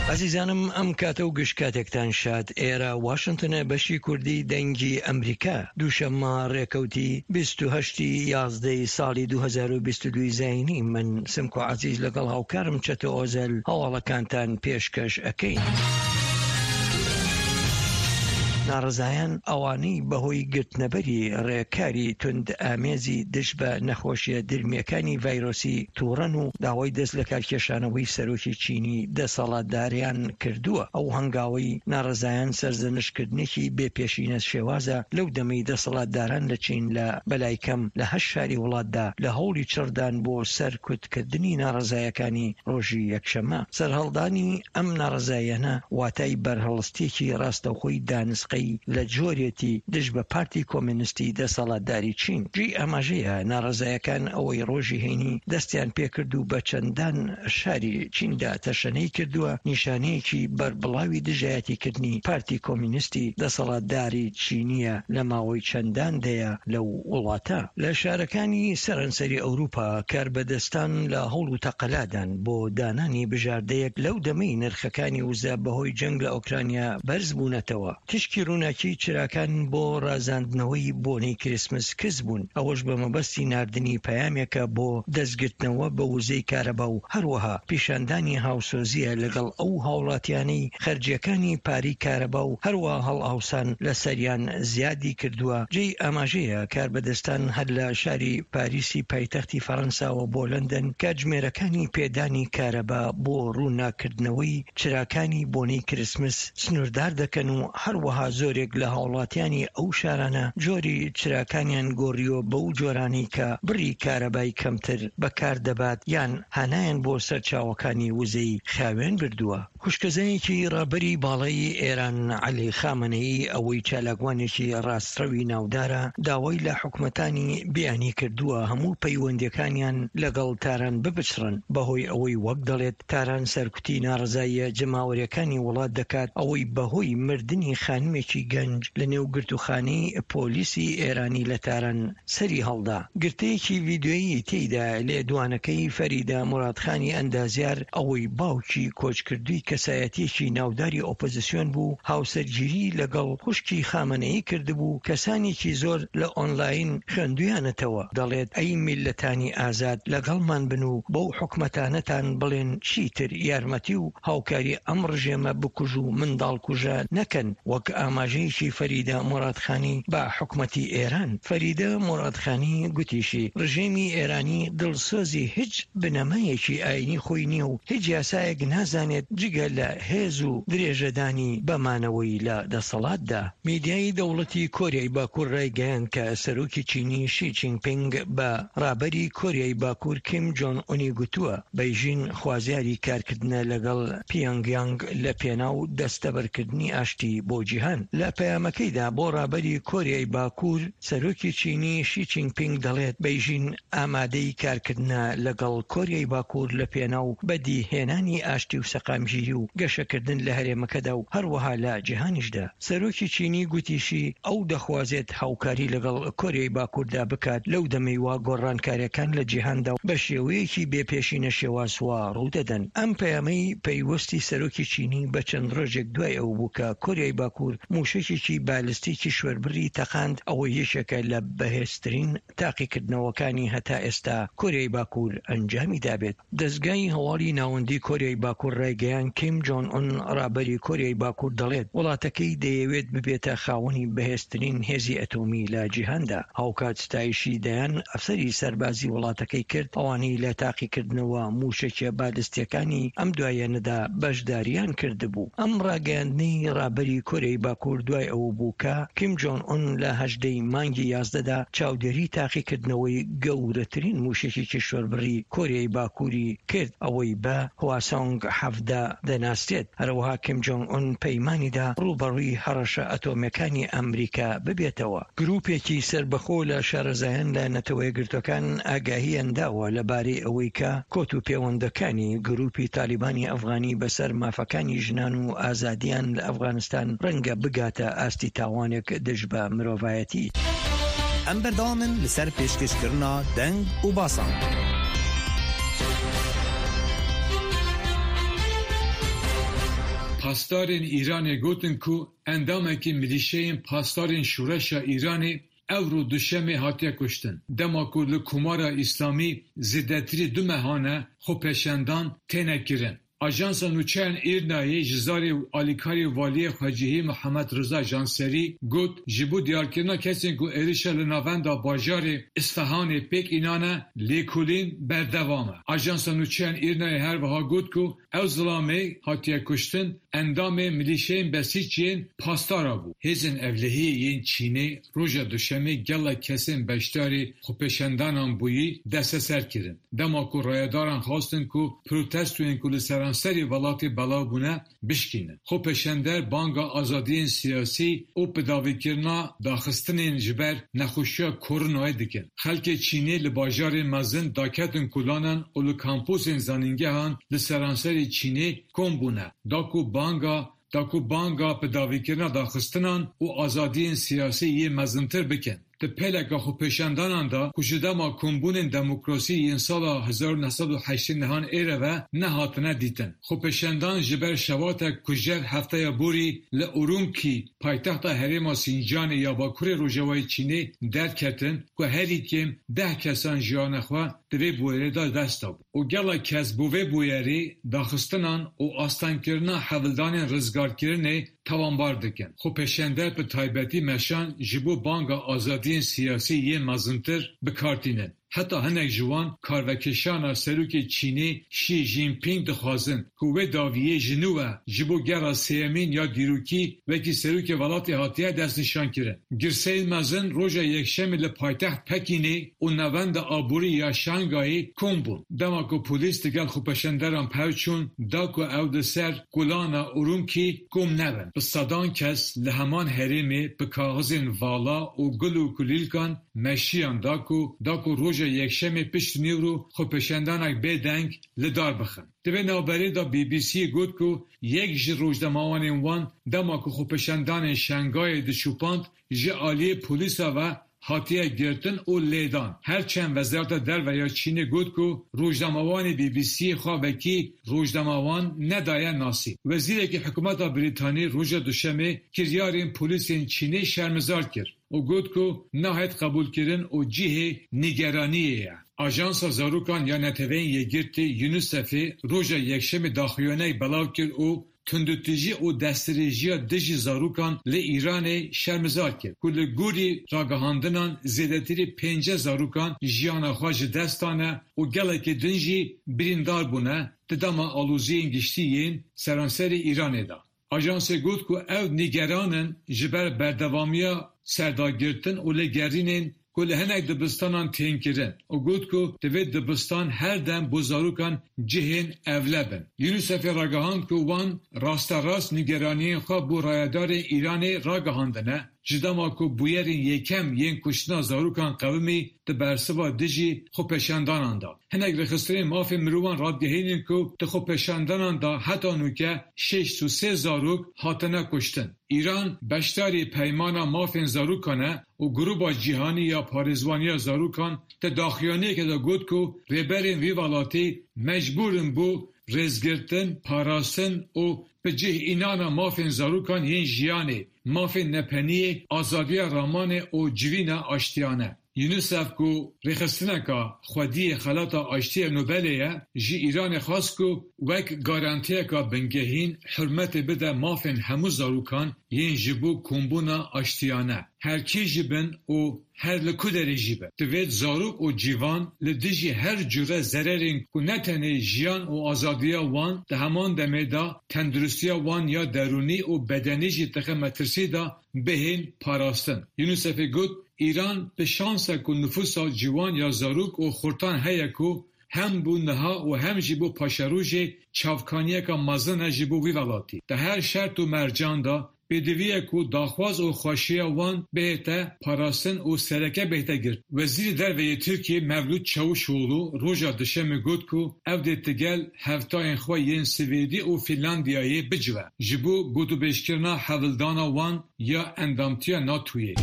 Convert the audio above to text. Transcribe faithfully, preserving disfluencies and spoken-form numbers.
ئەزیزانم، ئەم کاتە و گشت کاتێکتان شاد. ئێرە واشنتنە، بەشی کوردی دەنگی ئەمریکا. دووشەممە، ڕێکەوتی بیست و هەشتی یازدەی ساڵی دوو هەزار و بیست و دوو زاینی. من سمکۆ عەزیز لەگەڵ هاوکارم چەتۆ ئۆزەل هەواڵەکانتان پێشکەش ئەکەین. ناڕزایان ئەوانەی بەهۆی گرتنەبەری ڕێکاری تند ئامێزی دژ بە نەخۆشیە درمیەکانی ڤایرۆسی تووڕەن و داوای دەست لە کارکێشانەوەی سەرۆکی چینی دەسەڵاتداریان کردووە. ئەو هەنگاوەی ناڕزایان سەرزەنشتکردنێکی بێپێشینە شێوازە لەو دەمەی دەسەڵاتداران لە چین لە بەلای کەم لە هەشت شاری وڵاتدا لە هەوڵی چڕدان بۆ سەرکوتکردنی ناڕزایەکانی ڕۆژی یەکشەممە. سەرهەڵدانی ئەم ناڕزایەنە واتای بەرهەڵستێکی ڕاستەوخۆی دانسقەی لە جۆرێتی دژ بە پارتی کۆمونیستی دەسەڵاتداری چین. جێی ئاماژەیە ناڕزایەکان ئەوەی ڕۆژی هەینی دەستیان پێکرد و بە چەندان شاری چیندا تەشەنەی کردووە، نیشانەیەکی بەربڵاوی دژایەتیکردنی پارتی کۆمونیستی دەسەڵاتداری چینیە لە ماوەی چەندان دەیە لەو وڵاتە. لە شارەکانی سەرانسەری ئەوروپا کاربەدەستان لە هەوڵ و تەقەلادان بۆ دانانی بژاردەیەک لەو دەمەی نرخەکانی وزە بەهۆی جەنگ لە ئۆکرانیا بەرز بوونەتەوە. تشکی ڕووناکی چراکان بۆ ڕازاندنەوەی بۆنەی کریسمس کز بوون، ئەوەش بە مەبەستی ناردنی پەیامێکە بۆ دەستگرتنەوە بە وزەی کارەبا و هەروەها پیشاندانی هاوسۆزیە لەگەڵ ئەو هاوڵاتیانەی خەرجیەکانی پاری کارەبا و هەروەها هەڵاوسان لەسەریان زیادی کردووە. جێی ئاماژەیە کاربەدەستان هەر لە شاری پاریسی پایتەختی فەڕەنساوە بۆ لەندەن کاتژمێرەکانی پێدانی کارەبا بۆ ڕووناکردنەوەی چراکانی بۆنەی کریسمس سنووردار دەکەن و هەروەها زۆرێک لە هاوڵاتیانی ئەو شارانە جۆری چراکانیان گۆڕیوە بەو جۆرانەی کە بڕی کارەبای کەمتر بەکار دەبات یان هانایان بۆ سەرچاوەکانی وزەی خاوێن بردووە. خوشکەزایەکی ڕابەری باڵای ئێران عەلی خامەنەیی، ئەوەی چالاکوانێکی ڕاستڕەوی ناودارە، داوای لە حکومەتانی بیانی کردووە هەموو پەیوەندیەکانیان لەگەڵ تاران بپچڕن، بەهۆی ئەوەی وەک دەڵێت تاران سەرکوتی ناڕزاییە جەماوەریەکانی وڵات دەکات، ئەوەی بەهۆی مردنی خانمێکی گەنج لە نێو گرتوخانەی پۆلیسی ئێرانی لە تاران سەری هەڵدا. گرتەیەکی ڤیدیۆیی تێیدا لێدوانەکەی فەریدە مورادخانی ئەندازیار، ئەوەی باوکی کۆچکردووی کەسایەتیەکی ناوداری ئۆپۆزیسیۆن بوو، هاوسەرگیری لەگەڵ خوشکی خامەنەیی کردبوو، کەسانێکی زۆر لە ئۆنلاین خوێندویانەتەوە. دەڵێت ئەی میللەتانی ئازاد، لەگەڵمان بن و بەو حکومەتانەتان بڵێن چیتر یارمەتی و هاوکاری ئەم ڕژێمە بکوژ و منداڵکوژە نەکەن. وەک ئاماژەیەکی فەریدە مورادخانی بە حکومەتی ئێران. فەریدە مورادخانی گوتیشی، ڕژێمی ئێرانی دڵسۆزی هیچ بنەمایەکی ئاینی خۆی نییە و هیچ یاسایەک نازانێت جگە لە هێز و درێژەدانی بەمانەوەی لە دەسەڵاتدا. میدیای دەوڵەتی کۆریای باکوور ڕایگەیاند کە سەرۆکی چینی شی جینپینگ بە ڕابەری کۆریای باکوور کیم جۆن ئونی گوتووە، بەیژین خوازیاری کارکردنە لەگەڵ پیۆنگیانگ لە پێناو دەستەبەرکردنی ئاشتی بۆ جیهان. لە پەیامەکەیدا بۆ ڕابەری کۆریای باکوور، سەرۆکی چینی شی جینپینگ دەڵێت بەیژین ئامادەی کارکردنە لەگەڵ کۆریای باکوور لە پێناو بەدیهێنانی ئاشتی و سەقامگیری و گەشەکردن لە هەرێمەکەدا و هەروەها لە جیهانیشدا. سەرۆکی چینی گوتیشی ئەو دەخوازێت هاوکاری لەگەڵ کۆریای باکووردا بکات لەو دەمەی وا گۆڕانکاریەکان لە جیهاندا و بە شێوەیەکی بێپێشینە شێواز وا ڕوودەدەن. ئەم پەیامەی پەیوەستی سەرۆکی چینی بە چەند ڕۆژێک دوای ئەو بوو کە کۆریای باکوور موشەکێکی بالستیکی شوێربڕی تەقاند، ئەوە یەکێکە لە بەهێزترین تاقیکردنەوەکانی هەتا ئێستا کۆریای باکوور ئەنجامی دابێت. دەستگای هەواڵی ناوەندی کۆریای باکوور ڕایگەیاند کیم جۆن ئون ڕابەری کۆریای باکوور دەڵێت وڵاتەکەی دەیەوێت ببێتە خاوەنی بەهێزترین هێزی ئەتۆمی لە جیهاندا. هاوکات ستایشی دەیان ئەفسەری سەربازی وڵاتەکەی کرد، ئەوانەی لە تاقیکردنەوە موشەکیە بالستیەکانی ئەم دوایەنەدا بەشداریان کردبوو. ئەم ڕاگەیاندنەی ڕابەری کۆریای باکوور دوای ئەوە بوو کە کیم جۆن ئون لە هەژدەی مانگی یازدەدا چاودێری تاقیکردنەوەی گەورەترین موشەکی کیشوەربڕی کۆریای باکووری کرد، ئەوەی بە هواسۆنگ حەڤدە دەناسرێت. هەروەها کیم جۆنگ ئون پەیمانیدا ڕوبەڕووی هەڕەشە ئەتۆمیەکانی ئەمریکا ببێتەوە. گروپێکی سەربەخۆ لە شارەزایان لە نەتەوە یەکگرتوەکان ئاگاهیان داوە لەبارەی ئەوەی کە کۆت و پێوەندەکانی گروپی تالیبانی ئەفغانی بەسەر مافەکانی ژنان و ئازادیان لە ئەفغانستان ڕەنگە بگاتە ئاستی تاوانێک دژ بە مرۆڤایەتی. ئەم بەردەوامن لەسەر پێشکەشکردنا دەنگ و باسان. Pasdarên Îranê gotin ku endamekî milîşeyên pasdarên şoreşa Îranê ewro duşemê hatiye kuştin, dema ku li Komara Îslamî zêdetirî du mehan e xwepêşandan têne kirin. Ajansa Nûçeyan Îrnayê ji zarê û alîkarê Waliyê Xwecihî Mihemed Riza Janserî got, ji bo diyarkirina kesên ku êrişa li navenda bajarê Îsfehanê pêk înane, lêkolîn berdewam e. Ajansa Nûçeyan Îrnayê her wiha got ku ew zilamê hatiye kuştin, endamê milîşeyên Besîc yên pasdara bû. Hêzên ewlehiyê yên Çînê roja Duşemê gelek kesên beşdarî xwepêşandanan bûyî desteser kirin. Dema ku rayedaran xwestin ku protestoyên ku li seranserî welatê belav bûne bişkînin. Xwepêşander banga azadiyên siyasî û bidawîkirina daxistinên ji ber nexweşiya koronayê dikin. Xelkê Çînê li bajarên mezin daketin kolanan û li kamposên zanîngehan li seranserê Çînê kom bûne. Da ku banga, da ku banga bidawîkirina daxistinan û azadiyên siyasî yê mezintir bikin. Di pêleka xwepêşandanan de ku ji dema kombûnên demokrasî yên sala hezar û neh sed û heştê nehan êre ve nehatine dîtin. Xwepêşandan ji ber şevatek kujer hefteya borî li Urumkî, paytexta herêma Sîncanê ya Bakurê Rojavayê Çînê derketin ku herî kêm deh kesan jiyana xwe di vê bûyerê de dest dabû û gelek kes bo vê bûyerê daxistinan û astengkirina hewldanên rizgarkirinê tawanbar dikin. Xwepêşander bi taybetî meşan ji bo banga azadiyên siyasî yên mezintir bi kar tînin. Heta hinek ji wan karvekêşana serokê Çînê Xi Jinping dixwazin ku wê dawiyê ji nû ve ji bo gera sêyemîn ya dîrokî wekî serokê welatê hatiye destnîşankirin. Girseyên mezin roja Yekşemê li paytext Pekînê û navenda aborî ya Şangayê kom bûn. Dema ku polîs digel xwepêşanderan pevçûn, da ku ew di ser kolana Urumkî kom nebin. Bi sedan kes li heman herêmê bi kaxizên vala û gul û kulîlkan meşiyan da ku, da ku roja Yekşemê pişt nîvro xwepêşandanek bêdeng li dar bixin. Di vê navberê de B B C'yê got ku yek ji rojnamewanên wan dema ku xwepêşandanên Şangayê diçûpand, ji aliyê polîsa ve hatiye girtin û lêdan. Her çend Wezareta Derve ya Çînê got ku rojnamewanê B B C'yê xwe wekî rojnamewan nedaye nasîn. Wezîrekî hikûmeta Brîtanî roja Duşemê kiryarên polîsên Çînê şermizar kir û got ku nahêt qebûlkirin û cihê nîgeraniyê ye. Ajansa Zarokan ya Neteweyên Yekgirtî, UNICEFê, roja Yekşemê daxuyaniyek belav kir û tundûtîjî û destdirêjiya dijî zarokan li Îranê şermizar kir, ku li gorî ragihandinan zêdetirî pêncî zarokan jiyana xwe ji dest dane û gelekî din jî birîndar bûne di dema aloziyên giştî yên seranserê Îranê de. Ajansê got ku ew nîgeran in ji ber berdewamiya serdagirtin û lêgerînên ku li hinek dibistanan tên kirin û got ku divê dibistan her dem bo zarokan cihên ewle bin. UNICEFê ragihand ku wan rasterast nîgeraniyên xwe bo rayedarên Îranê ragihandine, ji dema ku bûyerên yekem yên kuştina zarokan qewimî di bersiva dijî xwepêşandanan de. Hinek rêxistinên mafên mirovan radigihînin ku di xwepêşandanan de heta nûke şêst û sê zarok hatine kuştin. Îran beşdarî Peymana Mafên Zarokan e û Grûba Cîhanî ya Parêzvaniya Zarokan di daxuyaniyekê de got ku rêberên vî welatî mecbûr in bo rêzgirtin, parastin û bi cih înana mafên zarokan yên jiyanê, mafên nepeniyê, azadiya ramanê û civîna aştiyane. UNICEF ku rêxistineka xwediyê Xelata Aştiyê Nobelê ye, ji Îranê xwest ku wek garantiyeka bingehîn hurmetê bide mafên hemû zarokan yên ji bo kombûna aştiyane, her kî jî bin û her li ku derê jî bin. Divêt zarok û ciwan li dijî her cure zererên ku ne tenê jiyan û azadiya wan, di heman demê de tenduristiya wan ya derûnî û bedenî jî dixe metirsî de, bihên parastin. UNICEFê got, Îran bi şans e ku nifûsa ciwan ya zarok û xurtan heye ku hem bo niha û hem jî bo paşerojê çavkaniyeka mezin e ji bo vî welatî. Di her şert û mercan de pêdivî ye ku daxwaz û xweşiya wan bihête parastin û sereke bihête girt. Wezîrê Derve yê Tirkiyê Mevlût Çavuşoğlu roja Duşemê got ku ew dê digel hevtayên xwe yên Swêdî û Fînlandiyayê bicive ji bo gotûbêjkirina hewldana wan ya endamtiya NATOyê.